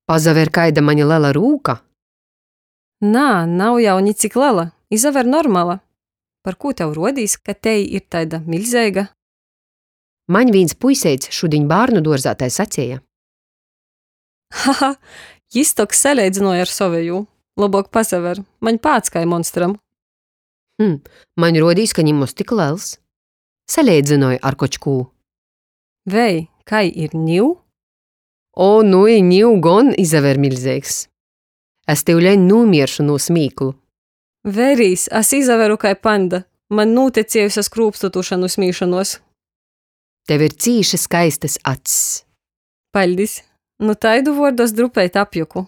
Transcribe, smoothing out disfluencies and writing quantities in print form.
Pasaver, kaida maņ lela rūka! Nā, nav jau nicik lela, izaver normala. Parkū tev ruodīs, ka tei ir taida miļzeiga? Maņ vīns puiseits šudiņ bārnuduorzā tai saceja. Haha, jis tok saleidzynuoja ar sovejū. Lobuok pasaver, maņ pāds kai monstram. Hm, maņ ruodīs, ka nimoz tik lels. Saleidzynoj ar koč kū. Vei, kai ir niu? O, nui, niu gon izaver miļzeigs. Es tiuleņ nūmieršu nu smīklu. Verīs, es izaveru kai panda. Maņ nūteciejuse skrūpstu tuša nu smīšonuos. Tev ir cīši skaistys acs. Paļdis! Nu taidu vuordu es drupeit apjuku.